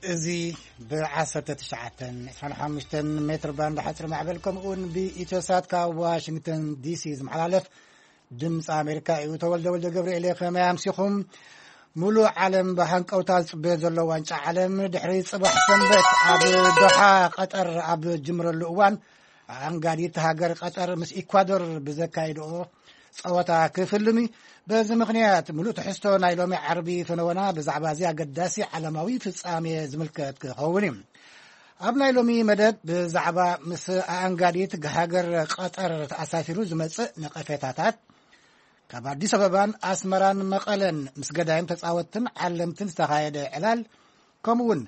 እዚ ብ19 25 ሜትር ባንድ ሓፂር ማዕበል ከምኡውን ብኢትዮሳት ካብ ዋሽንግተን ዲሲ ዝመሓላለፍ ድምፂ ኣሜሪካ እዩ። ተወልደ ወልደ ገብርኤል እየ። ከመይ ኣምሲኹም? ሙሉእ ዓለም ብሃንቀውታ ዝፅበዮ ዘሎ ዋንጫ ዓለም ድሕሪ ፅባሕ ሰንበት ኣብ ዶሓ ቀጠር ኣብ ጅምረሉ እዋን ኣንጋዲት ሃገር ቀጠር ምስ ኢኳዶር ብዘካይድኦ ፀወታ ክፍልም እዩ። በዚ ምኽንያት ሙሉእ ትሕዝቶ ናይ ሎሚ ዓርቢ ፈነወና ብዛዕባ እዚ ኣገዳሲ ዓለማዊ ፍጻሜ ዝምልከት ክኸውን እዩ። ኣብ ናይ ሎሚ መደብ ብዛዕባ ምስ ኣንጋዲት ሃገር ቀጠር ተኣሳሲሩ ዝመጽእ ነቐፌታታት፣ ካብ ኣዲስ ኣበባን ኣስመራን መቐለን ምስ ገዳይም ተጻወትትን ዓለምትን ዝተኻየደ ዕላል፣ ከምኡውን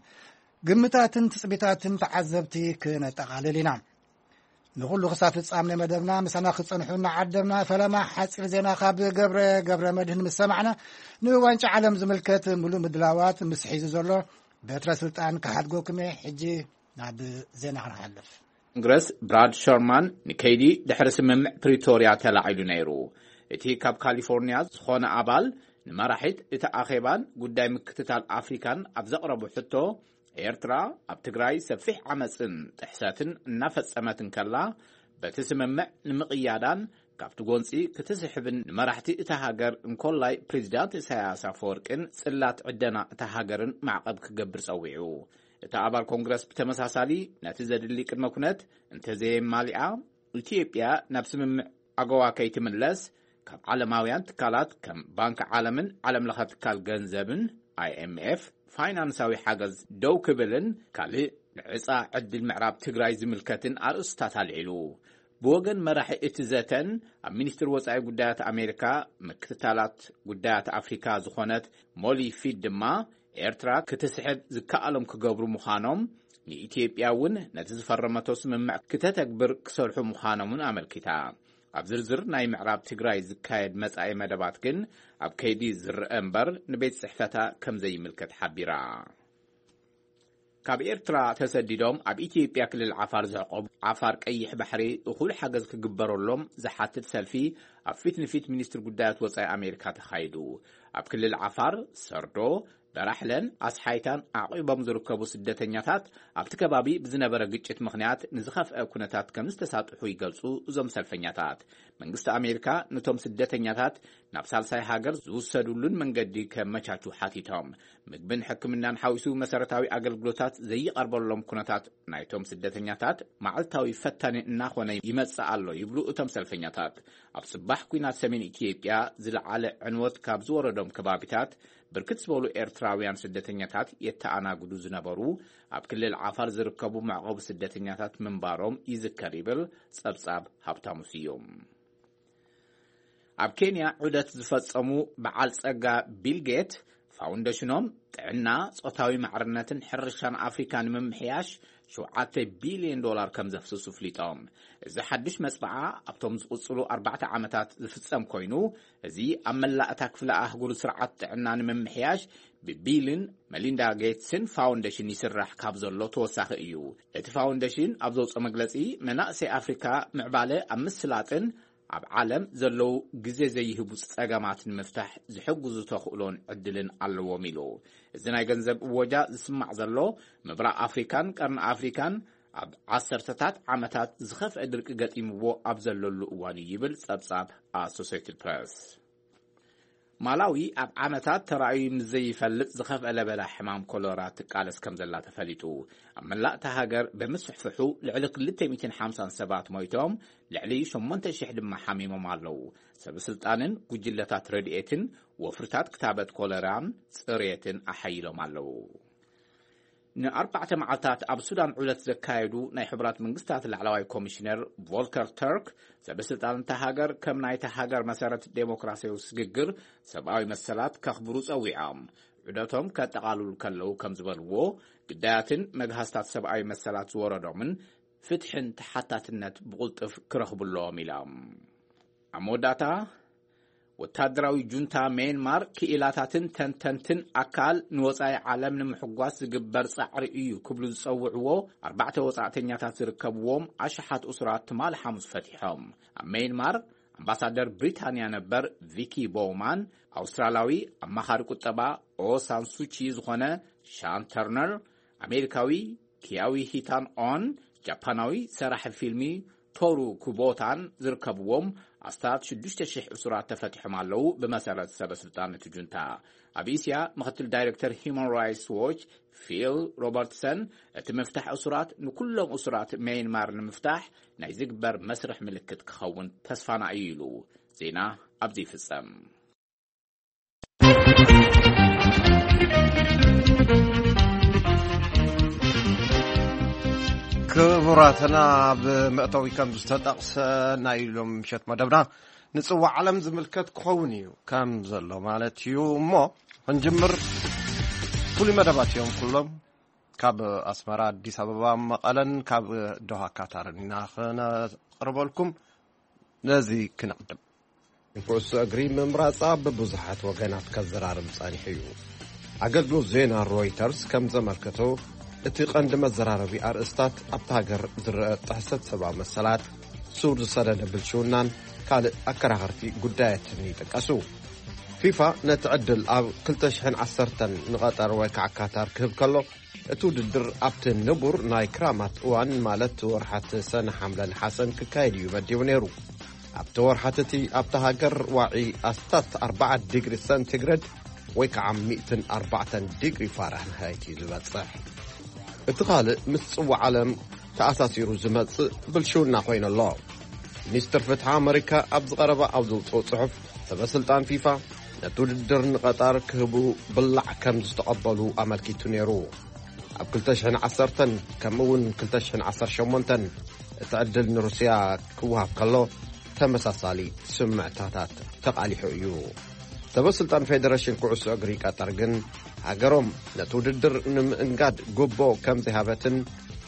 ግምታትን ትጽቢታትን ተዓዘብቲ ክነጠቓልል ኢና። ንኹሉ ክሳብ ፍጻሜ መደብና ምሳና ክጸንሑ እናዓደምና፣ ፈለማ ሓጺር ዜና ካብ ገብረ፣ ገብረ መድህን ምስ ሰማዕና፣ ንዋንጫ ዓለም ዝምልከት ሙሉእ ምድላዋት ምስ ሒዙ ዘሎ በትረ ስልጣን ክሓድጎኩም እየ። ሕጂ ናብ ዜና ክንሓልፍ። ኮንግረስ ብራድ ሸርማን ንከይዲ ድሕሪ ስምምዕ ፕሪቶርያ ተላዒሉ ነይሩ። እቲ ካብ ካሊፎርኒያ ዝኾነ ኣባል ንመራሒት እቲ ኣኼባን ጉዳይ ምክትታል ኣፍሪካን ኣብ ዘቕረቡ ሕቶ፣ ኤርትራ ኣብ ትግራይ ሰፊሕ ዓመፅን ጥሕሰትን እናፈጸመት እንከላ፣ በቲ ስምምዕ ንምቕያዳን ካብቲ ጎንፂ ክትስሕብን ንመራሕቲ እታ ሃገር እንኮላይ ፕሬዚዳንት ኢሳያስ ኣፈወርቅን ጽላት ዕደና እታ ሃገርን ማዕቐብ ክገብር ጸዊዑ። እቲ ኣባል ኮንግረስ ብተመሳሳሊ ነቲ ዘድሊ ቅድመ ኩነት እንተዘየማሊኣ፣ ኢትዮጵያ ናብ ስምምዕ ኣገዋ ከይትምለስ ካብ ዓለማውያን ትካላት ከም ባንክ ዓለምን ዓለም ለኸ ትካል ገንዘብን፣ ኣይኤምኤፍ፣ ፋይናንሳዊ ሓገዝ ደው ክብልን ካልእ ንዕጻ ዕድል ምዕራብ ትግራይ ዝምልከትን ኣርእስታት ኣልዒሉ። ብወገን መራሒ እቲ ዘተን ኣብ ሚኒስትር ወጻኢ ጉዳያት ኣሜሪካ ምክትታላት ጉዳያት ኣፍሪካ ዝኾነት ሞሊ ፊድ ድማ፣ ኤርትራ ክትስሕብ ዝከኣሎም ክገብሩ ምዃኖም፣ ንኢትዮጵያ እውን ነቲ ዝፈረመቶ ስምምዕ ክተተግብር ክሰርሑ ምዃኖምን ኣመልኪታ። ኣብ ዝርዝር ናይ ምዕራብ ትግራይ ዝካየድ መጻኢ መደባት ግን ኣብ ከይዲ ዝረአ እምበር ንቤት ጽሕፈታ ከም ዘይምልከት ሓቢራ። ካብ ኤርትራ ተሰዲዶም ኣብ ኢትዮጵያ ክልል ዓፋር ዝዕቆቡ ዓፋር ቀይሕ ባሕሪ እኹል ሓገዝ ክግበረሎም ዝሓትት ሰልፊ ኣብ ፊት ንፊት ሚኒስትሪ ጉዳያት ወጻኢ ኣሜሪካ ተኻይዱ። ኣብ ክልል ዓፋር ሰርዶ፣ በራሕለን ኣስሓይታን ዓቒቦም ዝርከቡ ስደተኛታት ኣብቲ ከባቢ ብዝነበረ ግጭት ምኽንያት ንዝኸፍአ ኩነታት ከም ዝተሳጥሑ ይገልጹ እዞም ሰልፈኛታት። መንግስቲ ኣሜሪካ ነቶም ስደተኛታት ናብ ሳልሳይ ሃገር ዝውሰዱሉን መንገዲ ከመቻቹ ሓቲቶም። ምግብን ሕክምናን ሓዊሱ መሰረታዊ ኣገልግሎታት ዘይቐርበሎም ኩነታት ናይቶም ስደተኛታት መዓልታዊ ፈታኒ እናኾነ ይመጽእ ኣሎ ይብሉ እቶም ሰልፈኛታት። ኣብ ጽባሕ ኲናት ሰሜን ኢትዮጵያ ዝለዓለ ዕንወት ካብ ዝወረዶም ከባቢታት ብርክት ዝበሉ ኤርትራውያን ስደተኛታት የተኣናግዱ ዝነበሩ ኣብ ክልል ዓፋር ዝርከቡ መዕቆቢ ስደተኛታት ምንባሮም ይዝከር ይብል ጸብጻብ ሃብታሙ ስዩም። ኣብ ኬንያ ዑደት ዝፈጸሙ በዓል ጸጋ ቢል ጌት ፋውንዴሽኖም ጥዕና፣ ጾታዊ ማዕርነትን ሕርሻን ኣፍሪካ ንምምሕያሽ ሸውዓተ ቢልዮን ዶላር ከም ዘፍስሱ ፍሊጦም። እዚ ሓድሽ መጽብዓ ኣብቶም ዝቕጽሉ ኣርባዕተ ዓመታት ዝፍጸም ኮይኑ፣ እዚ ኣብ መላእ እታ ክፍለ ኣህጉር ስርዓት ጥዕና ንምምሕያሽ ብቢልን መሊንዳ ጌትስን ፋውንዴሽን ይስራሕ ካብ ዘሎ ተወሳኺ እዩ። እቲ ፋውንዴሽን ኣብ ዘውፅኦ መግለፂ፣ መናእሰይ ኣፍሪካ ምዕባለ ኣብ ምስላጥን ኣብ ዓለም ዘለዉ ግዜ ዘይህቡ ጸገማት ንምፍታሕ ዝሕግዙ ተኽእሎን ዕድልን ኣለዎም ኢሉ። እዚ ናይ ገንዘብ እወጃ ዝስማዕ ዘሎ፣ ምብራቕ ኣፍሪካን ቀርኒ ኣፍሪካን ኣብ ዓሰርተታት ዓመታት ዝኸፍአ ድርቂ ገጢምዎ ኣብ ዘለሉ እዋን እዩ ይብል ጸብጻብ ኣሶሴትድ ፕረስ። ማላዊ ኣብ ዓመታት ተራእዩ ምስ ዘይፈልጥ ዝኸፍአ ለበዳ ሕማም ኮሎራ ትቃለስ ከም ዘላ ተፈሊጡ። ኣብ መላእ እታ ሃገር ብምስፍሕፍሑ ልዕሊ ክልተ ሚእትን ሓምሳን ሰባት ሞይቶም፣ ልዕሊ ሸሞንተ ሽሕ ድማ ሓሚሞም ኣለዉ። ሰብ ስልጣንን ጉጅለታት ረድኤትን ወፍርታት ክታበት ኮለራን ጽሬትን ኣሓይሎም ኣለዉ። ንኣርባዕተ መዓልታት ኣብ ሱዳን ዑደት ዘካየዱ ናይ ሕቡራት መንግስታት ላዕለዋይ ኮሚሽነር ቮልከር ተርክ፣ ሰበ ስልጣን እታ ሃገር ከም ናይታ ሃገር መሰረት ዴሞክራሲያዊ ስግግር ሰብኣዊ መሰላት ከኽብሩ ጸዊዖም። ዑደቶም ከጠቓልሉ ከለዉ ከም ዝበልዎ፣ ግዳያትን መግሃስታት ሰብኣዊ መሰላት ዝወረዶምን ፍትሕን ተሓታትነት ብቕልጡፍ ክረኽቡ ኣለዎም ኢሎም። ኣብ መወዳእታ፣ ወታደራዊ ጁንታ ሜንማር ክኢላታትን ተንተንትን ኣካል ንወጻኢ ዓለም ንምሕጓስ ዝግበር ጻዕሪ እዩ ክብሉ ዝጸውዕዎ ኣርባዕተ ወጻእተኛታት ዝርከብዎም ኣሽሓት እሱራት ትማሊ ሓሙስ ፈቲሖም። ኣብ ሜንማር ኣምባሳደር ብሪታንያ ነበር ቪኪ ቦውማን፣ ኣውስትራላዊ ኣማኻሪ ቁጠባ ኦ ሳንሱቺ ዝኾነ ሻን ተርነር፣ ኣሜሪካዊ ኪያዊ ሂታን ኦን፣ ጃፓናዊ ሰራሒ ፊልሚ ቶሩ ኩቦታን ዝርከብዎም ኣስታት ሽዱሽተ ሽሕ እሱራት ተፈቲሖም ኣለዉ፣ ብመሰረት ሰበ ስልጣን እቲ ጁንታ። ኣብ እስያ፣ ምክትል ዳይሬክተር ሂዩማን ራይትስ ዎች ፊል ሮበርትሰን፣ እቲ ምፍታሕ እሱራት ንኩሎም እሱራት ሜይንማር ንምፍታሕ ናይ ዝግበር መስርሕ ምልክት ክኸውን ተስፋና እዩ ኢሉ። ዜና ኣብዚ ይፍጸም። ክቡራትና፣ ኣብ መእተዊ ከም ዝተጠቕሰ ናይ ሎም ምሸት መደብና ንጽዋዕ ዓለም ዝምልከት ክኸውን እዩ ከም ዘሎ ማለት እዩ። እሞ ክንጅምር ፍሉይ መደባት እዮም ኩሎም። ካብ ኣስመራ፣ ኣዲስ ኣበባ፣ መቐለን ካብ ዶሃ ካታርን ኢና ክነቕርበልኩም። ነዚ ክነቕድም። ንኩዕሶ እግሪ ምምራጻ ብብዙሓት ወገናት ከዘራርብ ጸኒሑ እዩ። ኣገልግሎት ዜና ሮይተርስ ከም ዘመልከቶ፣ እቲ ቀንዲ መዘራረቢ ኣርእስታት ኣብታ ሃገር ዝረአ ጥሕሰት ሰብኣዊ መሰላት፣ ሱር ዝሰደደ ብልሽውናን ካልእ ኣከራኸርቲ ጉዳያትን ይጥቀሱ። ፊፋ ነቲ ዕድል ኣብ ክልተ ሽሕን ዓሰርተን ንቐጠር ወይ ከዓ ካታር ክህብ ከሎ፣ እቲ ውድድር ኣብቲ ንቡር ናይ ክራማት እዋን፣ ማለት ወርሓት ሰነ፣ ሓምለ፣ ነሓሰን ክካየድ እዩ መዲቡ ነይሩ። ኣብቲ ወርሓት እቲ ኣብታ ሃገር ዋዒ ኣስታት ኣርባዓ ዲግሪ ሰንቲግሬድ ወይ ከዓ ሚእትን ኣርባዕተን ዲግሪ ፋራንሃይት እዩ ዝበጽሕ። እቲ ካልእ ምስ ጽዋዕ ዓለም ተኣሳሲሩ ዝመጽእ ብልሽውና ኮይኑ ኣሎ። ሚኒስትር ፍትሒ ኣመሪካ ኣብ ዝቐረበ ኣብ ዘውፅኦ ጽሑፍ፣ ሰበ ስልጣን ፊፋ ነቲ ውድድር ንቐጣር ክህቡ ብላዕ ከም ዝተቐበሉ ኣመልኪቱ ነይሩ። ኣብ ክልተ ሽሕን ዓሰርተን ከምኡ እውን ክልተ ሽሕን ዓሰርተ ሸሞንተን እቲ ዕድል ንሩስያ ክወሃብ ከሎ፣ ተመሳሳሊ ስምዕታታት ተቓሊሑ እዩ። ሰበ ስልጣን ፌደሬሽን ኩዕሶ እግሪ ቀጠር ግን፣ ሃገሮም ነቲ ውድድር ንምእንጋድ ጉቦ ከም ዘይሃበትን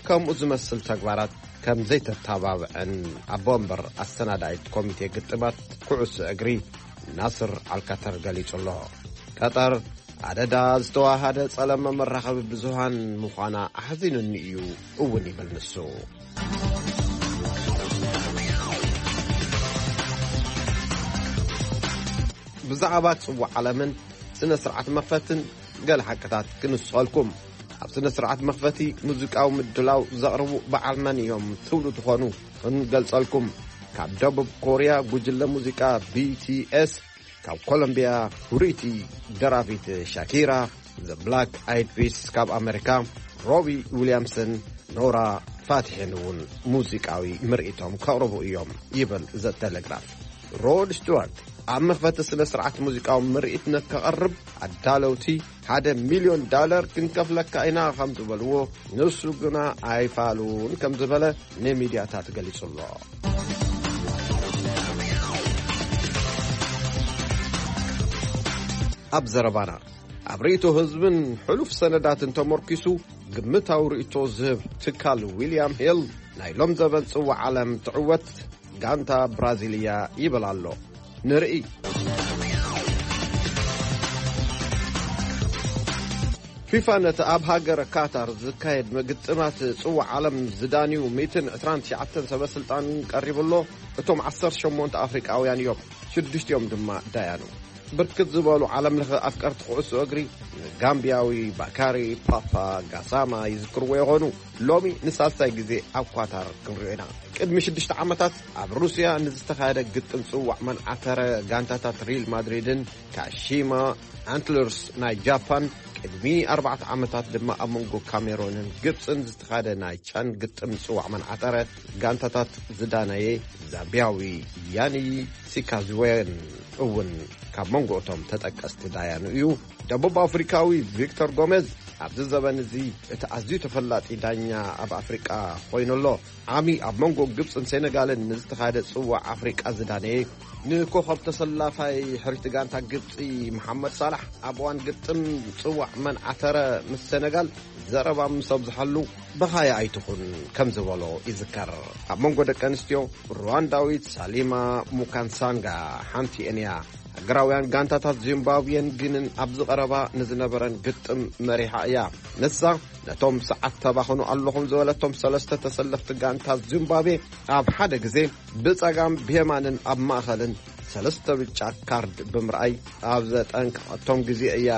ከምኡ ዝመስል ተግባራት ከም ዘይተተባብዐን ኣቦ ወንበር ኣሰናዳኢት ኮሚቴ ግጥማት ኩዕሶ እግሪ ናስር ኣልካተር ገሊጹ ኣሎ። ቀጠር ኣደዳ ዝተዋሃደ ጸለመ መራኸቢ ብዙሃን ምዃና ኣሕዚኑኒ እዩ እውን ይብል ንሱ። ብዛዕባ ጽዋዕ ዓለምን ስነ ስርዓት መኽፈትን ገለ ሓቅታት ክንስኸልኩም። ኣብ ስነ ስርዓት መኽፈቲ ሙዚቃዊ ምድላው ዘቕርቡ በዓል መን እዮም ትብሉ ትኾኑ፣ ክንገልጸልኩም። ካብ ደቡብ ኮርያ ጉጅለ ሙዚቃ ቢ ቲ ኤስ፣ ካብ ኮሎምቢያ ፍሩይቲ ደራፊት ሻኪራ፣ ዘ ብላክ ኣይድ ፒስ፣ ካብ ኣመሪካ ሮቢ ዊልያምስን ኖራ ፋትሒን እውን ሙዚቃዊ ምርኢቶም ከቕርቡ እዮም ይብል ዘ ቴሌግራፍ። ሮድ ስቱዋርት ኣብ መኽፈቲ ስነ ስርዓት ሙዚቃዊ ምርኢት ንከቐርብ ኣዳለውቲ ሓደ ሚልዮን ዳለር ክንከፍለካ ኢና ከም ዝበልዎ፣ ንሱ ግና ኣይፋሉን ከም ዝበለ ንሚድያታት ገሊጹ ኣሎ። ኣብ ዘረባና፣ ኣብ ርእይቶ ህዝብን ሕሉፍ ሰነዳትን ተመርኪሱ ግምታዊ ርእይቶ ዝህብ ትካል ዊልያም ሂል፣ ናይ ሎም ዘበን ጽዋዕ ዓለም ትዕወት ጋንታ ብራዚልያ ይብል ኣሎ። ንርኢ። ፊፋ ነቲ ኣብ ሃገረ ካታር ዝካየድ ምግጥማት ጽዋዕ ዓለም ዝዳንዩ ሚእትን ዕስራን ትሽዓተን ሰበ ስልጣን ቀሪቡ ኣሎ። እቶም ዓሰርተ ሸሞንተ ኣፍሪቃውያን እዮም፣ ሽዱሽቲኦም ድማ ዳያኑ። ብርክት ዝበሉ ዓለም ለኸ ኣፍቀርቲ ኩዕሶ እግሪ ንጋምቢያዊ ባካሪ ፓፓ ጋሳማ ይዝክርዎ ይኾኑ። ሎሚ ንሳልሳይ ግዜ ኣብ ኳታር ክንሪኦ ኢና። ቅድሚ ሽዱሽተ ዓመታት ኣብ ሩስያ ንዝተኻየደ ግጥም ጽዋዕ መንዓተረ ጋንታታት ሪል ማድሪድን ካሺማ ኣንትለርስ ናይ ጃፓን፣ ቅድሚ ኣርባዕተ ዓመታት ድማ ኣብ መንጎ ካሜሮንን ግብጽን ዝተኻየደ ናይ ቻን ግጥም ጽዋዕ መንዓተረ ጋንታታት ዝዳነየ ዛምቢያዊ ያኒ ሲካዝዌን እውን ካብ መንጎ እቶም ተጠቀስቲ ዳያኑ እዩ። ደቡብ ኣፍሪካዊ ቪክቶር ጎሜዝ ኣብዚ ዘበን እዚ እቲ ኣዝዩ ተፈላጢ ዳኛ ኣብ ኣፍሪቃ ኮይኑ ኣሎ። ዓሚ ኣብ መንጎ ግብጽን ሴኔጋልን ንዝተኻየደ ጽዋዕ ኣፍሪቃ ዝዳነየ፣ ንኮኸብ ተሰላፋይ ሕርይቲ ጋንታ ግብጺ መሓመድ ሳላሕ ኣብ እዋን ግጥም ጽዋዕ መንዓተረ ምስ ሴኔጋል ዘረባ ምስ ኣብዝሓሉ፣ በኻያ ኣይትኹን ከም ዝበሎ ይዝከር። ኣብ መንጎ ደቂ ኣንስትዮ፣ ሩዋንዳዊት ሳሊማ ሙካንሳንጋ ሓንቲ እያ። ሃገራውያን ጋንታታት ዚምባብዌን ግንን ኣብዚ ቀረባ ንዝነበረን ግጥም መሪሓ እያ። ንሳ ነቶም ሰዓት ተባኽኑ ኣለኹም ዝበለቶም ሰለስተ ተሰለፍቲ ጋንታት ዚምባብዌ ኣብ ሓደ ግዜ ብጸጋም ብየማንን ኣብ ማእኸልን ሰለስተ ብጫ ካርድ ብምርኣይ ኣብ ዘጠንቀቐቶም ግዜ እያ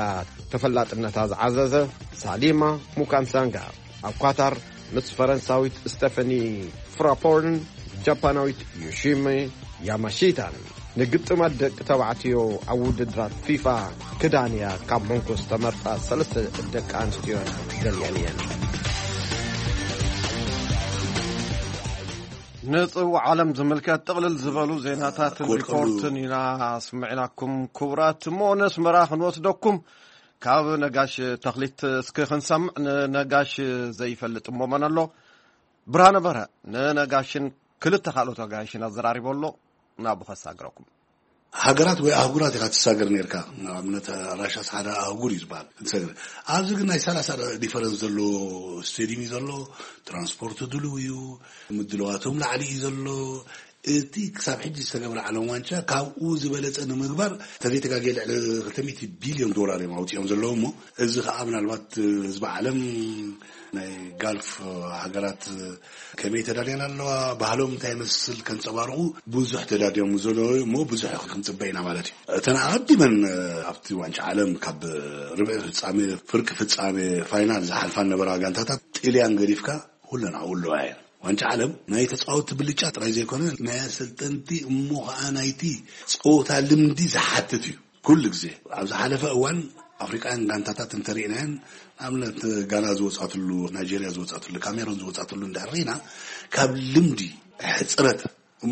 ተፈላጥነታ ዝዓዘዘ። ሳሊማ ሙካንሳንጋ ኣብ ኳታር ምስ ፈረንሳዊት ስቴፈኒ ፍራፖርን ጃፓናዊት ዮሺሚ ያማሺታን ንግጥማት ደቂ ተባዕትዮ ኣብ ውድድራት ፊፋ ክዳን እያ ካብ መንጎ ዝተመርጻ ሰለስተ ደቂ ኣንስትዮን ገሊአን እየን። ንጽውዕ ዓለም ዝምልከት ጥቕልል ዝበሉ ዜናታትን ክወድቀሉ ሪፖርትን ኢና ኣስምዕናኩም። ክቡራት፣ እሞ ነስመራ ክንወስደኩም። ካብ ነጋሽ ተኽሊት እስኪ ክንሰምዕ። ንነጋሽ ዘይፈልጥ እሞ መን ኣሎ? ብርሃነ በርሀ ንነጋሽን ክልተ ካልኦት ኣጋይሽን ኣዘራሪቦ ኣሎ። ናብኡ ከሳግረኩም። ሃገራት ወይ ኣህጉራት ኢኻ ትሳገር ነርካ። ንኣብነት ራሻስ ሓደ ኣህጉር እዩ ዝበሃል። ትሰግር ኣብዚ ግን ናይ ሰላሳ ዲፈረንስ ዘሎ ስቴዲየም እዩ ዘሎ። ትራንስፖርት ድልው እዩ። ምድልዋቶም ላዕሊ እዩ ዘሎ። እቲ ክሳብ ሕጂ ዝተገብረ ዓለም ዋንጫ ካብኡ ዝበለጸ ንምግባር ተዘይተጋግየ ልዕሊ ክልተ ሚእቲ ቢልዮን ዶላር እዮም ኣውጺኦም ዘለዉ። እሞ እዚ ከዓ ምናልባት ህዝቢ ዓለም ናይ ጋልፍ ሃገራት ከመይ ተዳልያን ኣለዋ፣ ባህሎም እንታይ ይመስል ከንጸባርቑ ብዙሕ ተዳልዮም ዘለዉ እሞ ብዙሕ ክንጽበ ኢና ማለት እዩ። እተን ኣቐዲመን ኣብቲ ዋንጫ ዓለም ካብ ርብዒ ፍጻሜ፣ ፍርቂ ፍጻሜ፣ ፋይናል ዝሓልፋ ነበራ ጋንታታት ጥልያን ገዲፍካ ኩለን ኣብኡ ኣለዋ እየን። ዋንጫ ዓለም ናይ ተጻወትቲ ብልጫ ጥራይ ዘይኮነ ናይ ኣሰልጠንቲ እሞ ከዓ ናይቲ ጸወታ ልምዲ ዝሓትት እዩ። ኩሉ ግዜ ኣብ ዝሓለፈ እዋን ኣፍሪቃውያን ጋንታታት እንተሪእናየን፣ ንኣብነት ጋና ዝወጻትሉ፣ ናይጄርያ ዝወጻትሉ፣ ካሜሮን ዝወጻትሉ እንድሕር ርኢና ካብ ልምዲ ሕፅረት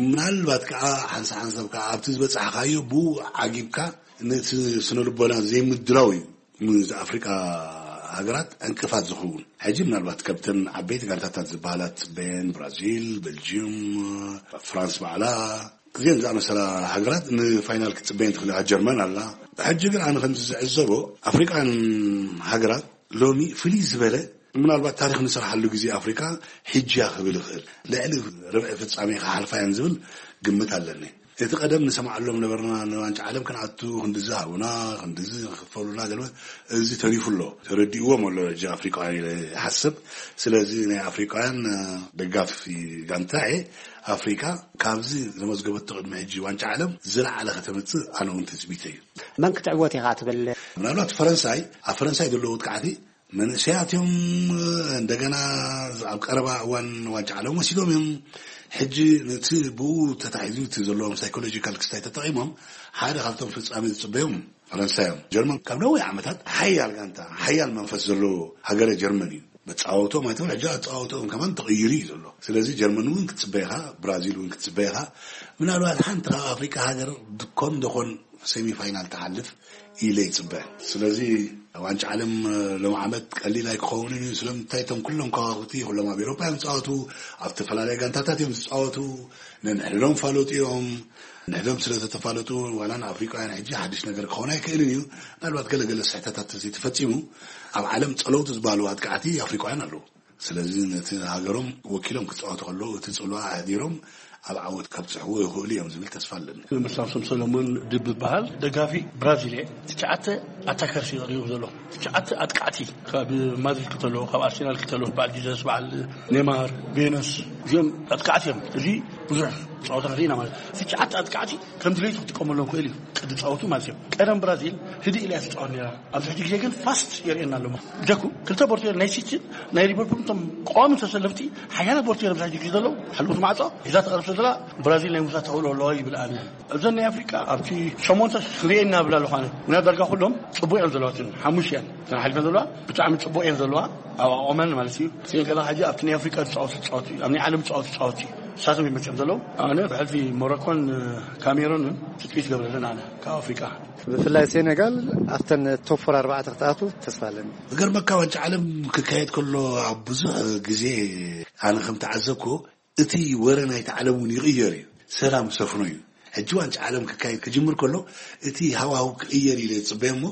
ምናልባት ከዓ ሓንሳ ሓንሳብ ከዓ ኣብቲ ዝበጻሕካዮ ብኡ ዓጊብካ ነቲ ስነ ልቦና ዘይምድላው እዩ። ንኣፍሪቃ ሃገራት ዕንቅፋት ዝኸውን ሕጂ ምናልባት ከብተን ዓበይቲ ጋንታታት ዝበሃላ ጽበየን ብራዚል፣ ቤልጅዩም፣ ፍራንስ ባዕላ እዚአን ዝኣመሰላ ሃገራት ንፋይናል ክትጽበየን ትኽእል እያ። ጀርመን ኣላ። ሕጂ ግን ኣነ ከምዚ ዝዕዘቦ ኣፍሪቃን ሃገራት ሎሚ ፍልይ ዝበለ ምናልባት ታሪኽ ንሰርሓሉ ግዜ ኣፍሪቃ ሕጂ እያ ክብል ይኽእል። ልዕሊ ርብዒ ፍጻሜ ክሓልፋ እየን ዝብል ግምት ኣለኒ። እቲ ቀደም ንሰማዓሎም ነበርና ንዋንጫ ዓለም ክንኣቱ ክንድዚ ሃቡና ክንድዚ ክፈሉና ገለ እዚ ተሪፉ ኣሎ። ተረዲእዎም ኣሎ ሕጂ ኣፍሪቃውያን ኢለ ይሓስብ። ስለዚ ናይ ኣፍሪቃውያን ደጋፊ ጋንታ እየ። ኣፍሪቃ ካብዚ ዘመዝገበቶ ቅድሚ ሕጂ ዋንጫ ዓለም ዝለዓለ ከተምፅእ ኣነ እውን ትፅቢተይ እዩ። መን ክትዕወት ኢኻ ትብል? ምናልባት ፈረንሳይ ኣብ ፈረንሳይ ዘለዎ ውድቃዕቲ መንእሰያት እዮም። እንደገና ኣብ ቀረባ እዋን ዋንጫ ዓለም ወሲዶም እዮም። ሕጂ ነቲ ብኡ ተታሒዙ እቲ ዘለዎም ሳይኮሎጂካል ክስታይ ተጠቒሞም ሓደ ካብቶም ፍጻሜ ዝጽበዮም ፈረንሳይ እዮም። ጀርመን ካብ ነዊሕ ዓመታት ሓያል ጋንታ ሓያል መንፈስ ዘለዎ ሃገረ ጀርመን እዩ። መጻወቶም ኣይትብል ሕጂ ኣጻወቶም ከማን ተቐይሩ እዩ ዘሎ። ስለዚ ጀርመን እውን ክትጽበ ኢኻ፣ ብራዚል እውን ክትጽበ ኢኻ። ምናልባት ሓንቲ ካብ ኣፍሪቃ ሃገር ድኮን ደኾን ሴሚ ፋይናል ትሓልፍ ኢለ ይጽበ። ስለዚ ዋንጫ ዓለም ሎም ዓመት ቀሊል ኣይክኸውንን እዩ። ስለምንታይ እቶም ኩሎም ከዋክብቲ ኩሎም ኣብ ኤሮፓ እዮም ዝጻወቱ፣ ኣብ ዝተፈላለየ ጋንታታት እዮም ዝጻወቱ። ነንሕድዶም ፋለጡ እዮም። ንሕዶም ስለ ዝተፋለጡ ዋላ ንኣፍሪቃውያን ሕጂ ሓድሽ ነገር ክኸውን ኣይክእልን እዩ። ምናልባት ገለገለ ስሕተታት ተዘይተፈጺሙ ኣብ ዓለም ጸለውቲ ዝበሃሉ ኣጥቃዕቲ ኣፍሪቃውያን ኣለዉ። ስለዚ ነቲ ሃገሮም ወኪሎም ክጻወቱ ከለዉ እቲ ጽልዋ ኣሕዲሮም ኣብ ዓወት ከብጽሕዎ ይኽእሉ እዮም ዝብል ተስፋ ኣለኒ። መሳምሶም ሰሎሞን ድብ ዝበሃል ደጋፊ ብራዚል እየ። ትሽዓተ ኣታከርስ እዩ ቀሪቡ ዘሎ። ትሽዓተ ኣጥቃዕቲ ካብ ማድሪድ ክተሎ ካብ ኣርሴናል ክተሎ በዓል ጂዘስ በዓል ኔማር ቬነስ እዚኦም ኣጥቃዕቲ እዮም። እዚ ብዙሕ ጸወታ ርኢና ማለት ትሽዓተ ኣጥቃዕቲ ከም ድሌቱ ክጥቀመሎም ክእል እዩ። ቅዲ ጻወቱ ማለት እዩ። ቀደም ብራዚል ህድእ ኢላ እያ ትጻወት ነይራ። ኣብዚ ሕጂ ግዜ ግን ፋስት የርእየና ኣሎ። ጀኩ ክልተ ቦርቴር ናይ ሲቲን ናይ ሊቨርፑል እቶም ቀዋሚ ተሰለፍቲ ሓያለ ቦርቴር ኣብዚ ሕጂ ግዜ ዘለዉ ሓለውቲ ማዕጾ ሒዛ ተቐርብ ስለ ዘላ ብራዚል ናይ ምውሳድ ተኽእሎ ኣለዋ ይብል ኣነ። እዘን ናይ ኣፍሪቃ ኣብቲ ሸሞንተ ክርእየና ብላ ኣለኳነ ምና ዳርጋ ኩሎም ጽቡቅ እዮም ዘለዋትን ሓሙሽ እየን እተን ሓሊፈን ዘለዋ ብጣዕሚ ጽቡቅ እየን ዘለዋ ኣብ ኣቆመን ማለት እዩ። ሲን ከላ ሕጂ ኣብቲ ናይ ኣፍሪቃ ዝጻወቱ ጻወት እዩ ኣብ ናይ ዓለም ጻወቱ ጻወት እዩ። ሳቶም ይመቸም ዘለዉ ኣነ ብሕልፊ ሞሮኮን ካሜሮንን ትጽቢት ገብረለን ኣነ ካብ ኣፍሪቃ። ብፍላይ ሴኔጋል ኣብተን ቶፕ ፎር ኣርባዕተ ክትኣቱ ተስፋ ኣለኒ። ዝገርመካ ዋንጫ ዓለም ክካየድ ከሎ ኣብ ብዙሕ ግዜ ኣነ ከም ተዓዘብኩ እቲ ወረ ናይቲ ዓለም እውን ይቕየር እዩ። ሰላም ሰፍኖ እዩ። ሕጂ ዋንጫ ዓለም ክካየድ ክጅምር ከሎ እቲ ሃዋህው ክቕየር ኢለ ዝፅበዮ እሞ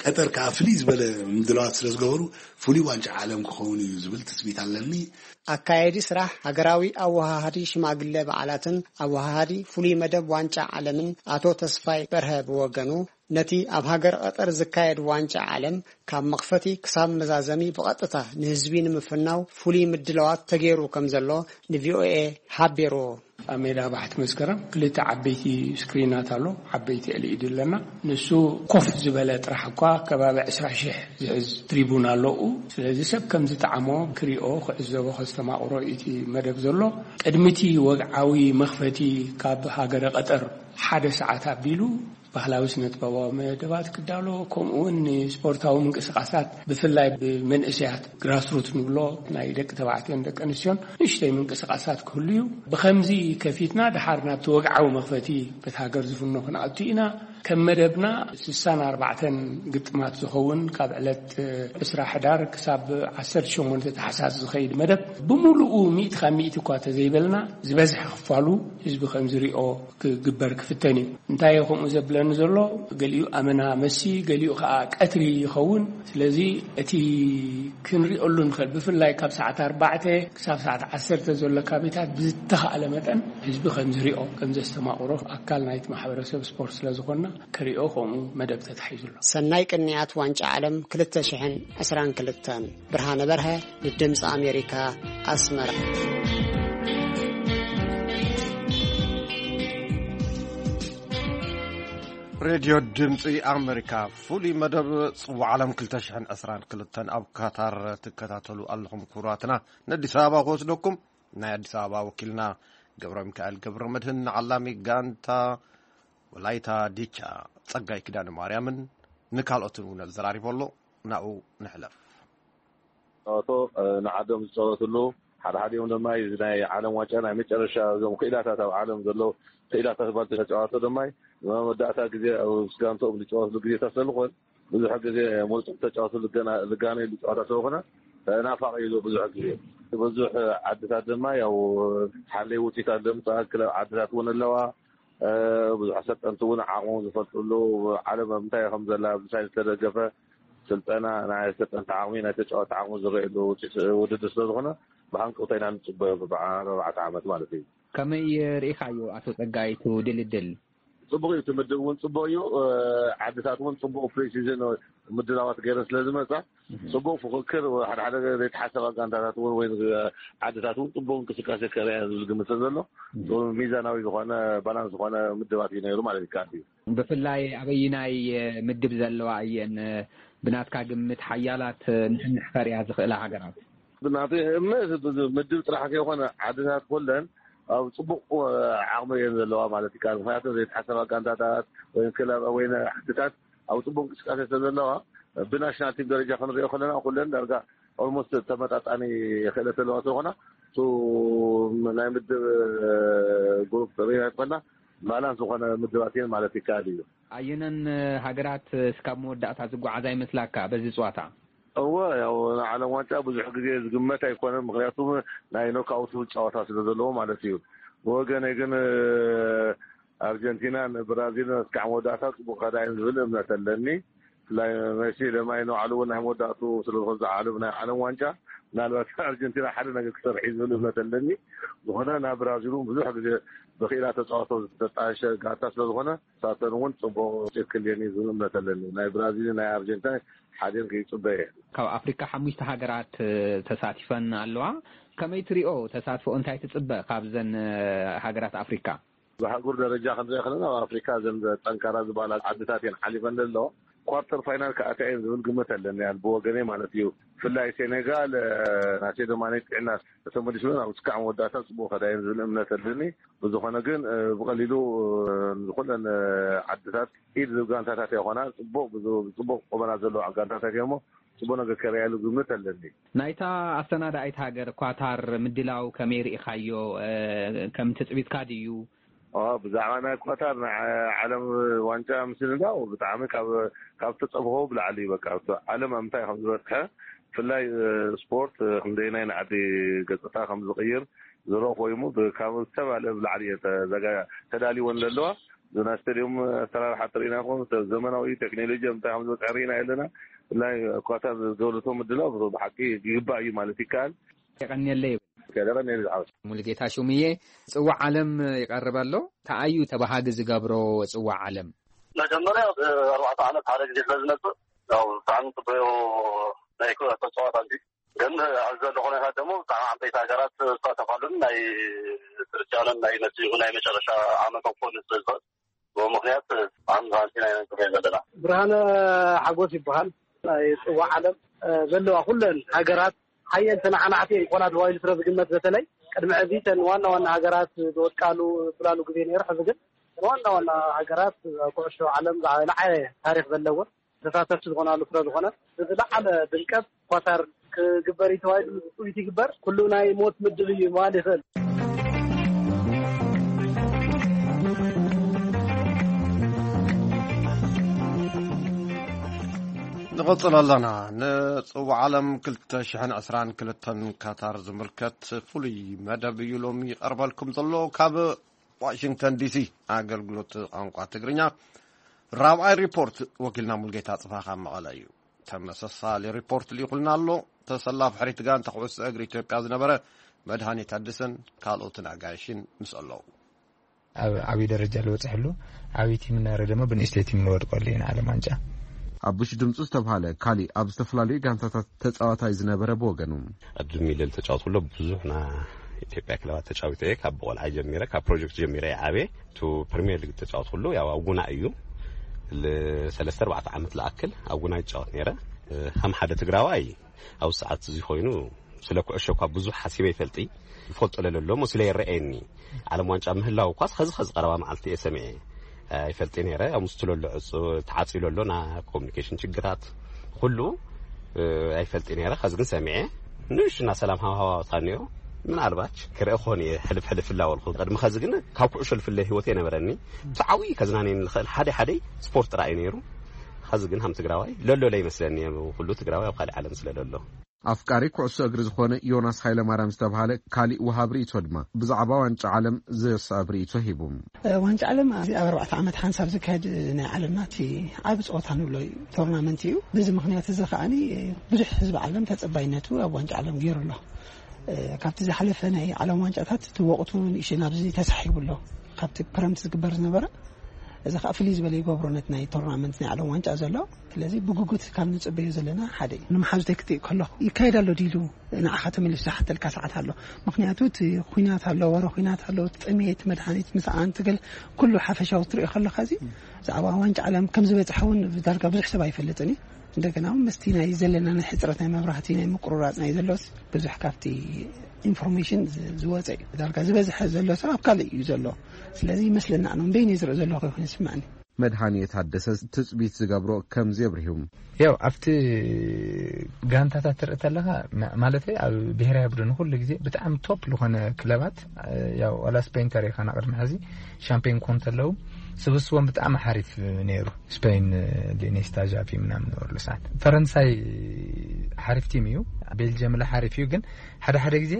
ቀጠር ከዓ ፍልይ ዝበለ ምድላዋት ስለ ዝገበሩ ፍሉይ ዋንጫ ዓለም ክኸውን እዩ ዝብል ትፅቢት ኣለኒ። ኣካየዲ ስራሕ ሃገራዊ ኣወሃሃዲ ሽማግለ በዓላትን ኣወሃሃዲ ፍሉይ መደብ ዋንጫ ዓለምን ኣቶ ተስፋይ በርሀ ብወገኑ፣ ነቲ ኣብ ሃገር ቀጠር ዝካየድ ዋንጫ ዓለም ካብ መኽፈቲ ክሳብ መዛዘሚ ብቐጥታ ንህዝቢ ንምፍናው ፍሉይ ምድላዋት ተገይሩ ከም ዘሎ ንቪኦኤ ሓቢሩ። ኣብ ሜዳ ባሕቲ መስከረም ክልተ ዓበይቲ ስክሪናት ኣሎ፣ ዓበይቲ ኤልኢዲ ኣለና። ንሱ ኮፍ ዝበለ ጥራሕ እኳ ከባቢ ዕስራ ሺሕ ዝሕዝ ትሪቡን ኣለኡ። ስለዚ ሰብ ከም ዝጠዓሞ ክሪኦ፣ ክዕዘቦ፣ ከስተማቕሮ እቲ መደብ ዘሎ። ቅድሚ እቲ ወግዓዊ መኽፈቲ ካብ ሃገረ ቀጠር ሓደ ሰዓት ኣቢሉ ባህላዊ ስነ-ጥበባዊ መደባት ክዳሎ፣ ከምኡ እውን ንስፖርታዊ ምንቅስቓሳት ብፍላይ ብመንእሰያት ግራስሩት ንብሎ ናይ ደቂ ተባዕትዮን ደቂ ኣንስትዮን ንእሽተይ ምንቅስቓሳት ክህሉ እዩ። ብኸምዚ ከፊትና ድሓር ናብቲ ወግዓዊ መኽፈቲ በቲ ሃገር ዝፍኖ ክንኣቱ ኢና። ከም መደብና ስሳን ኣርባዕተን ግጥማት ዝኸውን ካብ ዕለት ዕስራ ሕዳር ክሳብ ዓሰርተ ሸሞንተ ታሕሳስ ዝኸይድ መደብ ብምሉኡ ሚእቲ ካብ ሚእቲ እኳ ተዘይበልና ዝበዝሐ ክፋሉ ህዝቢ ከም ዝሪኦ ክግበር ክፍተን እዩ። እንታይ እዩ ከምኡ ዘብለኒ ዘሎ? ገሊኡ ኣመና መሲ፣ ገሊኡ ከዓ ቀትሪ ይኸውን። ስለዚ እቲ ክንሪኦሉ ንኽእል ብፍላይ ካብ ሰዓት ኣርባዕተ ክሳብ ሰዓት ዓሰርተ ዘሎ ካቢታት ብዝተኻእለ መጠን ህዝቢ ከም ዝሪኦ ከም ዘስተማቕሮ ኣካል ናይቲ ማሕበረሰብ ስፖርት ስለ ዝኾንና ክሪኦ ከምኡ መደብ ተታሒዙ ኣሎ። ሰናይ ቅንያት ዋንጫ ዓለም ክልተ ሽሕን ዕስራን ክልተን። ብርሃነ በርሀ ንድምፂ ኣሜሪካ ኣስመራ። ሬድዮ ድምፂ ኣሜሪካ ፍሉይ መደብ ፅዋ ዓለም ክልተ ሽሕን ዕስራን ክልተን ኣብ ካታር ትከታተሉ ኣለኹም። ክቡራትና፣ ንኣዲስ ኣበባ ክወስደኩም ናይ ኣዲስ ኣበባ ወኪልና ገብረ ሚካኤል ገብረ መድህን ንዓላሚ ጋንታ ወላይታ ዲቻ ጸጋይ ኪዳነ ማርያምን ንካልኦትን እውን ኣዘራሪቡ ኣሎ። ናብኡ ንሕለፍ። ጸወቶ ንዓዶም ዝጸወትሉ ሓደ ሓዲኦም ድማ እዚ ናይ ዓለም ዋንጫ ናይ መጨረሻ እዞም ክኢላታት ኣብ ዓለም ዘለዉ ክኢላታት ባል ተጫዋቶ ድማ መወዳእታ ግዜ ኣብ ጋንትኦም ዝጫወትሉ ግዜታት ስለዝኾን ብዙሕ ግዜ ምርጹም ተጫወቱ ልጋነይሉ ጨዋታ ስለዝኾነ ናፋቂ እዩ ብዙሕ ግዜ ብዙሕ ዓድታት ድማ ያው ሓለይ ውፅኢታት ዘምፅኣ ክለብ ዓድታት እውን ኣለዋ። ብዙሕ ኣሰልጠንቲ እውን ዓቕሞም ዝፈልጥሉ ዓለም ኣብ ምንታይ ከም ዘላ ብሳይንስ ዝተደገፈ ስልጠና ናይ ኣሰልጠንቲ ዓቕሚ ናይ ተጫወቲ ዓቕሚ ዝረእየሉ ውድድር ስለዝኾነ ብሃንቀውታ ኢና ንፅበዮ ብኣርባዕተ ዓመት ማለት እዩ። ከመይ ርኢኻዮ ኣቶ ፀጋይ እቲ ድልድል? ፅቡቅ እዩ። እቲ ምድብ እውን ፅቡቅ እዩ። ዓድታት እውን ፅቡቅ ፕሪሲዝን ምድላዋት ገይረን ስለዝመፃ ፅቡቅ ፍክክር ሓደ ሓደ ዘይተሓሰባ ጋንታታት እውን ወይ ዓድታት እውን ፅቡቅ እንቅስቃሴ ከርእያ ዝብል ግምት ዘሎ ሚዛናዊ ዝኾነ ባላንስ ዝኾነ ምድባት እዩ ነይሩ ማለት ይከኣል እዩ። ብፍላይ ኣበይናይ ምድብ ዘለዋ እየን ብናትካ ግምት ሓያላት ንሕንሕ ከርእያ ዝኽእላ ሃገራት? ብናተይ እምነት ምድብ ጥራሕ ከይኮነ ዓድታት ኩለን ኣብ ፅቡቅ ዓቕሚ እየን ዘለዋ ማለት ይከኣል። ምክንያቱ ዘይተሓሰባ ጋንታታት ወይ ክለብ ወይ ዓድታት ኣብ ፅቡቅ እንቅስቃሴ ስለዘለዋ ብናሽናል ቲም ደረጃ ክንሪኦ ከለና ኩለን ዳርጋ ኦልሞስት ተመጣጣኒ ክእለት ዘለዋ ስለኮና ናይ ምድብ ግሩፕ ሪና ይኮና ባላንስ ዝኾነ ምድባት እየን ማለት ይከኣል እዩ። ኣየነን ሃገራት እስካብ መወዳእታ ዝጓዓዛ ይመስላካ በዚ ፅዋታ? እወ ያው ንዓለም ዋንጫ ብዙሕ ግዜ ዝግመት ኣይኮነን። ምክንያቱ ናይ ኖክኣውት ጨዋታ ስለ ዘለዎ ማለት እዩ። ብወገነይ ግን ኣርጀንቲናን ብራዚልን እስካዕ መወዳእታ ፅቡቅ ከዳ እየን ዝብል እምነት ኣለኒ። ብፍላይ መሲ ለማይ ንባዕሉ እውን ናይ መወዳእቱ ስለዝኾን ዝዓለም ናይ ዓለም ዋንጫ ምናልባት ኣርጀንቲና ሓደ ነገር ክሰርሕ እዩ ዝብል እምነት ኣለኒ። ዝኾነ ናብ ብራዚል እውን ብዙሕ ግዜ ብክኢላ ተፃወቶ ዝተጣየሸ ጋንታ ስለዝኾነ ሳተን እውን ፅቡቅ ውፅኢት ክልየን እዩ ዝብል እምነት ኣለኒ። ናይ ብራዚል ናይ ኣርጀንቲና ሓደን ክይፅበ እየ። ካብ ኣፍሪካ ሓሙሽተ ሃገራት ተሳቲፈን ኣለዋ። ከመይ ትሪኦ ተሳትፎ እንታይ ትፅበ ካብዘን ሃገራት ኣፍሪካ? ብኣህጉር ደረጃ ክንሪኦ ከለና ኣብ ኣፍሪካ እዘን ጠንካራ ዝበሃላ ዓድታት እየን ሓሊፈን ዘለዋ። ኳርተር ፋይናል ክኣትያ እየን ዝብል ግምት ኣለኒ ብወገነይ ማለት እዩ። ብፍላይ ሴኔጋል ናሴዶ ማኔ ጥዕና ተመሊሱ ናብ ስካዕ መወዳእታ ፅቡቅ ከዳ እየን ዝብል እምነት ኣለኒ። ብዝኾነ ግን ብቀሊሉ ንኩለን ዓድታት ኢድ ዝብ ጋንታታት ይኾና ፅቡቅ ፅቡቅ ቁመና ዘለዋ ጋንታታት እየሞ ፅቡቅ ነገር ከርእያሉ ግምት ኣለኒ። ናይታ ኣሰናዳኢት ሃገር ኳታር ምድላው ከመይ ርኢኻዮ? ከም ትፅቢትካ ድዩ? ብዛዕባ ናይ ኳታር ናይ ዓለም ዋንጫ ምስንዳው ብጣዕሚ ካብ ተፀብሆ ብላዕሊ እዩ። በቃ ዓለም ኣብ ምንታይ ከም ዝበፅሐ ብፍላይ ስፖርት ክንደይናይ ንዓዲ ገፅታ ከም ዝቕይር ዝረኦ ኮይኑ ካብ ዝተባለ ብላዕሊ እየ ተዘጋ- ተዳልወን ዘለዋ። ዞና ስቴዲየም ኣሰራርሓ ትርኢና ይኹን፣ ዘመናዊ ቴክኖሎጂ እንታይ ከም ዝበፅሐ ርኢና ኣለና። ብፍላይ ኳታር ዝገበረቶ ምድላው ብሓቂ ይግባእ እዩ ማለት ይከኣል። የቐንየለይ። ከደቐን ነዚ ዝሓወስ ሙሉጌታ ሹምዬ፣ ጽዋዕ ዓለም ይቐርብ ኣሎ። ተኣዩ ተባሃጊ ዝገብሮ ጽዋዕ ዓለም? መጀመርያ ኣርባዕተ ዓመት ሓደ ግዜ ስለ ዝመፅእ ያው ብጣዕሚ ፅበዮ ናይ ኩ ተፅዋት ኣዚ ግን ኣብዚ ዘሎ ኩነታት ደግሞ ብጣዕሚ ዓበይቲ ሃገራት ዝሳተፋሉን ናይ ክርስቲያኖን ናይ መሲኡ ናይ መጨረሻ ዓመቶም ክኾን ስለ ዝኽእል ብኡ ምክንያት ብጣዕሚ ዛንቲና ኢና ንፅበዮ ዘለና። ብርሃነ ሓጎስ ይበሃል። ናይ ፅዋዕ ዓለም ዘለዋ ኩለን ሃገራት ሓየልቲ ናዕናዕቲ እየን ክኾና ተባሂሉ ስለ ዝግመት በተለይ ቅድሚ ሕዚ ተን ዋና ዋና ሃገራት ዝወድቃሉ ዝብላሉ ግዜ ነይሩ። ሕዚ ግን ዋና ዋና ሃገራት ኩዕሾ ዓለም ዝለዓለ ታሪክ ዘለወን ተሳተፍቲ ዝኾናሉ ስለ ዝኾነ ብዝለዓለ ድምቀት ኳታር ክግበር እዩ ተባሂሉ ውፅኢት ይግበር። ኩሉ ናይ ሞት ምድብ እዩ ምባል ይኽእል። ንቐጽል ኣለና። ንጽዋዕ ዓለም ክልተ ሽሕን ዕስራን ክልተን ካታር ዝምልከት ፍሉይ መደብ እዩ ሎሚ ይቐርበልኩም ዘሎ። ካብ ዋሽንግተን ዲሲ ኣገልግሎት ቋንቋ ትግርኛ ራብዓይ ሪፖርት ወኪልና ሙልጌታ ጽፋ ካብ መቐለ እዩ። ተመሳሳሊ ሪፖርት ልኢኹልና ኣሎ። ተሰላፊ ሕሪት ጋንታ ኩዕሶ እግሪ ኢትዮጵያ ዝነበረ መድሃኒ ታደሰን ካልኦትን ኣጋይሽን ምስ ኣለዉ። ኣብ ዓብዪ ደረጃ ልበፅሐሉ ዓብዪ ቲም እናረ ድማ ብንእሽተይ ቲም ንወድቀሉ ኢና ዓለም ዋንጫ። ኣቡሽ ድምፁ ዝተብሃለ ካሊእ ኣብ ዝተፈላለዩ ጋንታታት ተፃዋታይ ዝነበረ ብወገኑ፣ ኣብዚ ሚለል ተጫወት ኩሎ ብዙሕ ና ኢትዮጵያ ክለባት ተጫዊተ እየ። ካብ ቆልዓ ጀሚረ፣ ካብ ፕሮጀክት ጀሚረ እየ ዓብየ። ቱ ፕሪሚየር ሊግ ተጫወት ኩሉ ያው ኣብ ጉና እዩ። ለሰለስተ ኣርባዕተ ዓመት ለኣክል ኣብ ጉና ይጫወት ነይረ። ከም ሓደ ትግራዋይ ኣብ ሰዓት እዚ ኮይኑ ስለ ኩዕሾ እኳ ብዙሕ ሓሲበ ይፈልጢ ይፈልጦ ለለሎ እሞ ስለ ይረኣየኒ ዓለም ዋንጫ ምህላው እኳስ ኸዚ ኸዚ ቀረባ መዓልቲ እየ ሰሚዐ። ኣይፈልጢ ነይረ። ኣብ ምስቱ ለሎ ዕፁ ተዓፅዩ ለሎ ና ኮሚኒኬሽን ችግራት ኩሉ ኣይፈልጢ ነይረ። ኸዚ ግን ሰሚዐ ንእሽና ሰላም ሃዋዋታ ነይሩ። ምናልባች ክርኢ ክኾን እየ ሕልፍ ሕልፍ ፍላወልኩ። ቅድሚ ኸዚ ግን ካብ ኩዕሾ ልፍለ ህይወት የነበረኒ። ብትዓዊ ከዝናነየኒ ልኽእል ሓደ ሓደ ስፖርት ጥራይ ነይሩ። ኸዚ ግን ሃም ትግራዋይ ለሎ ለይመስለኒ ኩሉ ትግራዋይ ኣብ ካልእ ዓለም ስለ ለሎ። ኣፍቃሪ ኩዕሶ እግሪ ዝኾነ ዮናስ ሃይለማርያም ዝተብሃለ ካሊእ ወሃብ ርእይቶ ድማ ብዛዕባ ዋንጫ ዓለም ዘሰኣብ ርእይቶ ሂቡ። ዋንጫ ዓለም እዚ ኣብ ኣርባዕተ ዓመት ሓንሳብ ዝካየድ ናይ ዓለምና እቲ ዓቢ ፀወታ ንብሎ እዩ፣ ቶርናመንት እዩ። በዚ ምክንያት እዚ ከዓኒ ብዙሕ ህዝቢ ዓለም ተፀባይነቱ ኣብ ዋንጫ ዓለም ገይሩ ኣሎ። ካብቲ ዝሓለፈ ናይ ዓለም ዋንጫታት እቲ ወቕቱ ንእሽተይ ናብዚ ተሳሒቡ ኣሎ ካብቲ ክረምቲ ዝግበር ዝነበረ። እዚ ከዓ ፍልይ ዝበለ ይገብሮ ነቲ ናይ ቶርናመንት ናይ ዓለም ዋንጫ ዘሎ። ስለዚ ብጉጉት ካብ ንፅበዮ ዘለና ሓደ እዩ። ንመሓዙተይ ክጥይቅ ከለኹ ይካየድ ኣሎ ድዩ ኢሉ ንዓኻ ተመሊሱ ዝሓተልካ ሰዓት ኣሎ። ምክንያቱ እቲ ኩናት ኣሎ፣ ወረ ኩናት ኣሎ፣ እቲ ጥሜት፣ መድሃኒት ምስኣን፣ ትግል ኩሉ ሓፈሻዊ ትሪኦ ከለካ እዚ ብዛዕባ ዋንጫ ዓለም ከም ዝበፅሐ እውን ዳርጋ ብዙሕ ሰብ ኣይፈልጥን እዩ። እንደገና እውን ምስቲ ናይ ዘለና ናይ ሕፅረት ናይ መብራህቲ ናይ ምቁርራፅ ናይ ዘሎስ ብዙሕ ካብቲ ኢንፎርሜሽን ዝወፀ እዩ። ዳርጋ ዝበዝሐ ዘሎ ሰብ ኣብ ካልእ እዩ ዘሎ። ስለዚ ይመስለና ኣነ ንበይነይ ዝርኢ ዘለኹ ይኹን ይስምዐኒ። መድሃኒ የታደሰ ትፅቢት ዝገብሮ ከምዚ የብርሁ። ያው ኣብቲ ጋንታታት ትርኢ ተለኻ ማለተይ ኣብ ብሄራዊ ቡድን ኩሉ ግዜ ብጣዕሚ ቶፕ ዝኾነ ክለባት ያው ዋላ ስፔን ተሪኻ ና ቅድሚ ሕዚ ሻምፒዮን ክኾኑ ተለዉ ስብስቦም ብጣዕሚ ሓሪፍ ነይሩ። ስፔን ሌኔስታ ዣቪ ምናምን ነበርሉ ሰዓት ፈረንሳይ ሓሪፍ ቲም እዩ። ቤልጅየም ላ ሓሪፍ እዩ ግን ሓደ ሓደ ግዜ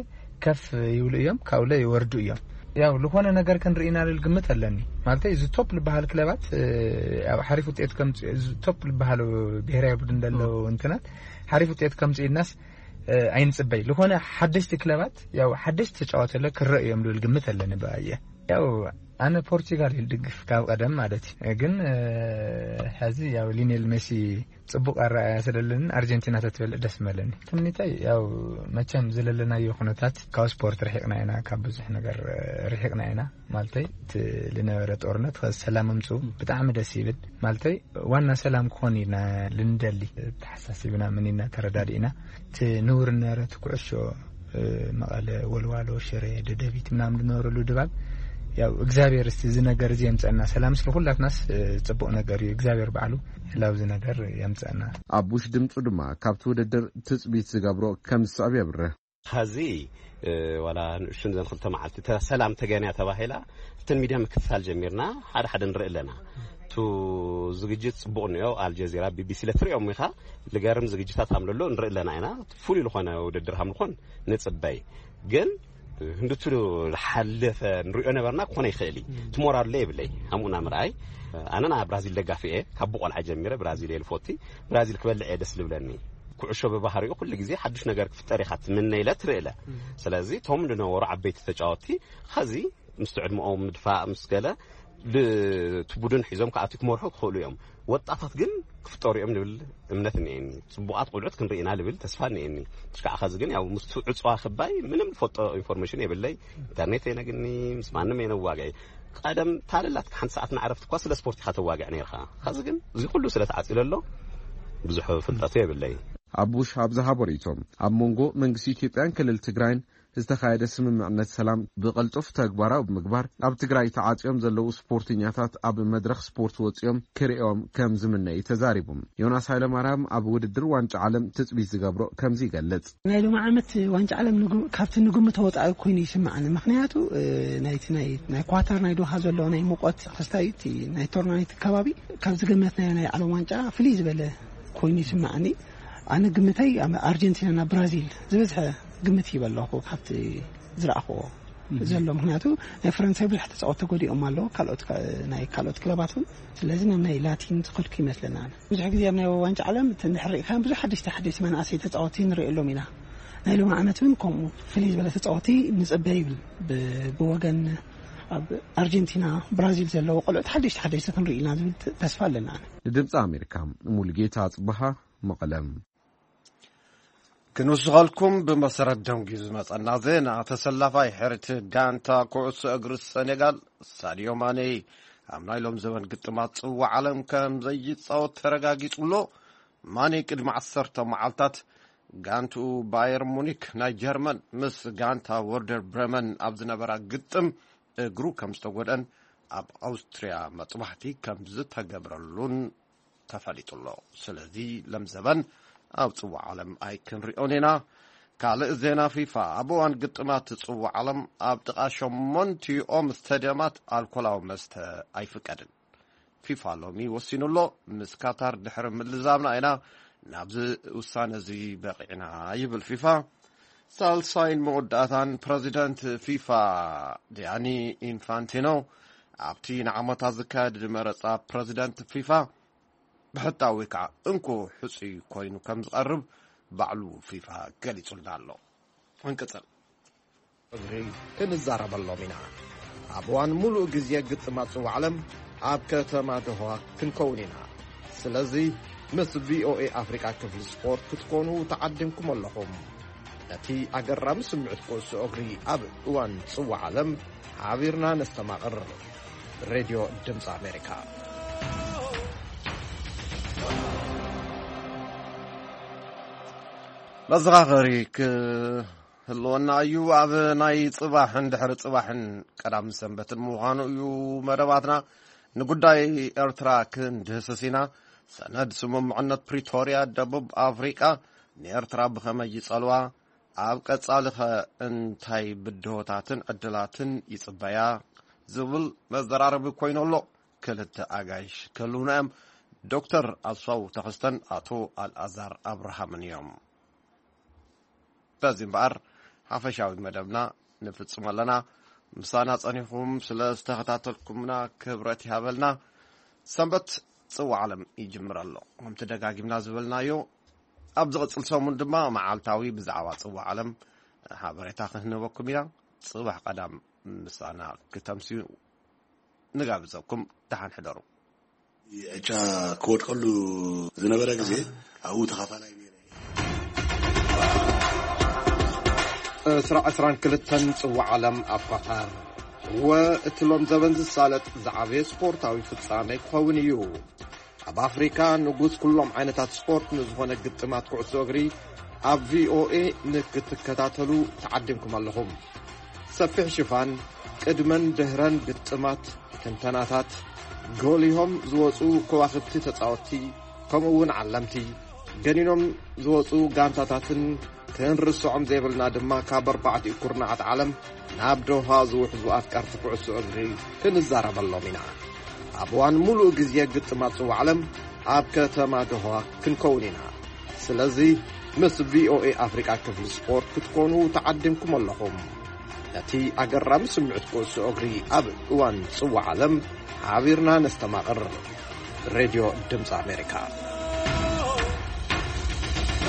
ከፍ ይብሉ እዮም ካብኡ ለ ይወርዱ እዮም። ያው ዝኾነ ነገር ክንርኢ ኢና ልል ግምት ኣለኒ ማለተይ እዚ ቶፕ ልበሃል ክለባት ያው ሓሪፍ ውጤት ከምፅ እዚ ቶፕ ልበሃሉ ብሄራዊ ቡድን ደሎ እንትናት ሓሪፍ ውጤት ከምፅ ኢልናስ ኣይንፅበይ ዝኾነ ሓደሽቲ ክለባት ያው ሓደሽቲ ተጫወት ለ ክረእ እዮም ልብል ግምት ኣለኒ ብኣየ ያው ኣነ ፖርቹጋል እዩ ልድግፍ ካብ ቀደም ማለት እዩ ግን ሕዚ ያው ሊኔል ሜሲ ፅቡቅ ኣረኣያ ስለለንን ኣርጀንቲና ተትበልዕ ደስ መለኒ። ትምኒተይ ያው መቸም ዝለለናዮ ኩነታት ካብ ስፖርት ርሒቅና ኢና፣ ካብ ብዙሕ ነገር ርሒቅና ኢና ማለተይ እቲ ልነበረ ጦርነት ከዚ ሰላም ምምፅኡ ብጣዕሚ ደስ ይብል ማለተይ ዋና ሰላም ክኾን ኢና ልንደሊ ተሓሳሲብና ምኒና ተረዳዲእና እቲ ንውር ነበረ እቲ ኩዕሾ መቐለ፣ ወልዋሎ፣ ሽረ፣ ደደቢት ምናምን ዝነበረሉ ድባብ ያው እግዚኣብሔር እስቲ እዚ ነገር እዚ የምፀና ሰላም ስለ ኩላትናስ ፅቡቅ ነገር እዩ እግዚኣብሔር ባዕሉ ህላው እዚ ነገር የምፀና። ኣቡሽ ድምፁ ድማ ካብቲ ውድድር ትፅቢት ዝገብሮ ከም ዝስዕብ የብርህ። ኸዚ ዋላ ንእሽቱን ዘን ክልተ መዓልቲ ሰላም ተገንያ ተባሂላ እተን ሚድያ ምክትታል ጀሚርና ሓደ ሓደ ንርኢ ኣለና። ቱ ዝግጅት ፅቡቅ እኒኦ ኣልጀዚራ ቢቢሲ ለትሪኦም ኢኻ ልገርም ዝግጅታት ሃምለሎ ንርኢ ኣለና ኢና። ፍሉይ ዝኾነ ውድድር ሃምልኾን ንፅበይ ግን ህንድቱ ዝሓለፈ ንሪኦ ነበርና ክኾነ ይኽእል እዩ። ትሞራሉ የብለይ። ሃምኡና ምርኣይ። ኣነ ናይ ብራዚል ደጋፊ እየ። ካብ ብቆልዓ ጀሚረ ብራዚል እየ ልፎቲ። ብራዚል ክበልዕ እየ ደስ ልብለኒ። ኩዕሾ ብባህሪኡ ኩሉ ግዜ ሓዱሽ ነገር ክፍጠር ኢኻ ትምነ ኢለ ትርእለ። ስለዚ እቶም ዝነበሩ ዓበይቲ ተጫወቲ ኸዚ ምስ ዕድመኦም ምድፋእ ምስ ገለ እቲ ቡድን ሒዞም ክኣትዩ ክመርሑ ክኽእሉ እዮም። ወጣታት ግን ክፍጠሩ እዮም ልብል እምነት እኒኤኒ። ጽቡቓት ቆልዑት ክንርኢ ኢና ልብል ተስፋ እኒኤኒ። ትሽካዕ ኸዚ ግን ያው ምስቱ ዕጽዋ ክባይ ምንም ልፈልጦ ኢንፎርሜሽን የብለይ። ኢንተርኔት የነግኒ፣ ምስ ማንም የነዋግዒ። ቀደም ታለላት ሓንቲ ሰዓት ንዓረፍቲ እኳ ስለ ስፖርት ኢኻ ተዋግዕ ነርኻ። ኸዚ ግን እዚ ኩሉ ስለ ተዓጺሉ ኣሎ ብዙሕ ፍልጠቱ የብለይ። ኣቡሽ ኣብ ዝሃቦ ርእይቶ ኣብ መንጎ መንግስቲ ኢትዮጵያን ክልል ትግራይን ዝተኻየደ ስምምዕነት ሰላም ብቐልጡፍ ተግባራዊ ብምግባር ኣብ ትግራይ ተዓጽዮም ዘለዉ ስፖርተኛታት ኣብ መድረኽ ስፖርት ወጺኦም ክርእዮም ከም ዝምነ እዩ ተዛሪቡ። ዮናስ ሃይለማርያም ኣብ ውድድር ዋንጫ ዓለም ትጽቢት ዝገብሮ ከምዚ ይገልጽ። ናይ ሎሚ ዓመት ዋንጫ ዓለም ንጉ-፣ ካብቲ ንግምቶ ወጻኢ ኮይኑ ይስምዓኒ። ምኽንያቱ፣ እ፣ ናይቲ ናይ፣ ናይ ኳታር ናይ ዶሃ ዘሎ ናይ ሙቐት ክስታይ እቲ ናይ ቶርናሜንት ከባቢ ካብ ዝገመትናዮ ናይ ዓለም ዋንጫ ፍልይ ዝበለ ኮይኑ ይስምዓኒ። ኣነ ግምተይ ኣብ ኣርጀንቲና ናብ ብራዚል ዝበዝሐ ግምት ይበ ኣለኹ ካብቲ ዝረኣኽዎ ዘሎ። ምኽንያቱ ናይ ፈረንሳይ ብዙሕ ተጻወት ተጎዲኦም ኣለዉ፣ ካልኦት ካ-፣ ናይ ካልኦት ክለባት እውን። ስለዚ ናብ ናይ ላቲን ዝኸድኩ ይመስለና። ኣነ ብዙሕ ግዜ ኣብ ናይ ዋንጫ ዓለም እቲ እንድሕር ርኢኻ ብዙሕ ሓደሽቲ ሓደሽቲ መናእሰይ ተጻወቲ ንርእየሎም ኢና። ናይ ሎሚ ዓመት እውን ከምኡ ፍልይ ዝበለ ተጻወቲ ንጽበ ይብል። ብ-፣ ብወገን ኣብ ኣርጀንቲና፣ ብራዚል ዘለዉ ቆልዑት ሓደሽቲ ሓደሽቲ ክንርኢ ኢና ዝብል ተ-፣ ተስፋ ኣለና። ኣነ ንድምፂ ኣሜሪካ ሙሉጌታ ኣፅበሃ፣ መቐለም። ክንውስኸልኩም ብመሰረት ደንጉዩ ዝመጸና ዜና፣ ተሰላፋይ ሕርቲ ጋንታ ኩዕሶ እግሪ ሰኔጋል ሳድዮ ማኔ ኣብ ናይ ሎም ዘበን ግጥማት ጽዋዕ ዓለም ከም ዘይጻወት ተረጋጊጹ ኣሎ። ማኔ ቅድሚ ዓሰርተ መዓልታት ጋንትኡ ባየር ሙኒክ ናይ ጀርመን ምስ ጋንታ ወርደር ብረመን ኣብ ዝነበራ ግጥም እግሩ ከም ዝተጎድአን ኣብ ኣውስትርያ መጥባሕቲ ከም ዝተገብረሉን ተፈሊጡ ኣሎ። ስለዚ ለምዘበን ኣብ ጽዋዕ ዓለም ኣይክንሪኦን ኢና። ካልእ ዜና ፊፋ፣ ኣብ እዋን ግጥማት ጽዋዕ ዓለም ኣብ ጥቓ ሸሞንቲኦም ስታድየማት ኣልኮላዊ መስተ ኣይፍቀድን። ፊፋ ሎሚ ወሲኑ ኣሎ። ምስ ካታር ድሕሪ ምልዛብና ኢና ናብዚ ውሳነ እዚ በቒዕና ይብል ፊፋ። ሳልሳይን መወዳእታን ፕረዚደንት ፊፋ ዲያኒ ኢንፋንቲኖ ኣብቲ ንዓመታት ዝካየድ መረጻ ፕረዚደንት ፊፋ ብሕታዊ ከዓ እንኮ ሕፁይ ኮይኑ ከም ዝቐርብ ባዕሉ ፊፋ ገሊጹልና ኣሎ። ክንቅጽል። እግሪ ክንዛረበሎም ኢና። ኣብ እዋን ሙሉእ ግዜ ግጥማት ጽዋዕ ዓለም ኣብ ከተማ ዶሃ ክንከውን ኢና። ስለዚ ምስ ቪኦኤ ኣፍሪቃ ክፍሊ ስፖርት ክትኮኑ ተዓዲምኩም ኣለኹም። ነቲ ኣገራሚ ስምዒት ኩዕሶ እግሪ ኣብ እዋን ጽዋዕ ዓለም ሓቢርና ነስተማቕር። ሬድዮ ድምፂ ኣሜሪካ። መዘኻኸሪ ክህልወና እዩ። ኣብ ናይ ጽባሕን ድሕሪ ጽባሕን ቀዳም ሰንበትን ምዃኑ እዩ መደባትና። ንጉዳይ ኤርትራ ክንድህስስ ኢና። ሰነድ ስምምዕነት ፕሪቶርያ ደቡብ ኣፍሪቃ ንኤርትራ ብኸመይ ይጸልዋ? ኣብ ቀጻሊኸ እንታይ ብድሆታትን ዕድላትን ይጽበያ? ዝብል መዘራረቢ ኮይኑ ኣሎ። ክልተ ኣጋይሽ ክህልውና እዮም። ዶክተር ኣስፋው ተኸስተን ኣቶ ኣልኣዛር ኣብርሃምን እዮም። በዚ እምበኣር ሓፈሻዊ መደብና ንፍጽም ኣለና። ምሳና ጸኒኹም ስለ ዝተኸታተልኩምና ክብረት ይሃበልና። ሰንበት ጽዋዕ ዓለም ይጅምር ኣሎ። ከምቲ ደጋጊምና ዝበልናዮ፣ ኣብ ዝቕጽል ሰሙን ድማ መዓልታዊ ብዛዕባ ጽዋዕ ዓለም ሓበሬታ ክንህበኩም ኢና። ጽባሕ ቀዳም ምሳና ክተምስዩ ንጋብዘኩም። ደሓን ሕደሩ። ዕጫ ክወድቀሉ ዝነበረ ግዜ ኣብኡ ተኻፋላይ ነይረ። ዕስራ ዕስራን ክልተን ጽዋዕ ዓለም ኣብ ኳታር። እወ፣ እቲ ሎም ዘበን ዝሳለጥ ዝዓበየ ስፖርታዊ ፍጻሜ ክኸውን እዩ። ኣብ ኣፍሪካ ንጉስ ኩሎም ዓይነታት ስፖርት ንዝኾነ ግጥማት ኩዕሶ እግሪ ኣብ ቪኦኤ ንክትከታተሉ ተዓዲምኩም ኣለኹም። ሰፊሕ ሽፋን፣ ቅድመን ድህረን ግጥማት፣ ትንተናታት፣ ጎሊሆም ዝወፁ ከዋኽብቲ ተፃወትቲ፣ ከምኡ እውን ዓለምቲ፣ ገኒኖም ዝወፁ ጋንታታትን ክንርስዖም ዘይብልና ድማ ካብ ኣርባዕቲኡ ኩርናዓት ዓለም ናብ ዶሃ ዝውሕዙ ኣፍቀርቲ ኩዕሶ እግሪ ክንዛረበሎም ኢና። ኣብ እዋን ሙሉእ ግዜ ግጥማት ጽዋዕ ዓለም ኣብ ከተማ ዶሃ ክንከውን ኢና። ስለዚ ምስ ቪኦኤ ኣፍሪቃ ክፍሊ ስፖርት ክትኮኑ ተዓዲምኩም ኣለኹም። ነቲ ኣገራሚ ስምዕት ኩዕሶ እግሪ ኣብ እዋን ጽዋዕ ዓለም ሓቢርና ነስተማቕር። ሬድዮ ድምፂ ኣሜሪካ።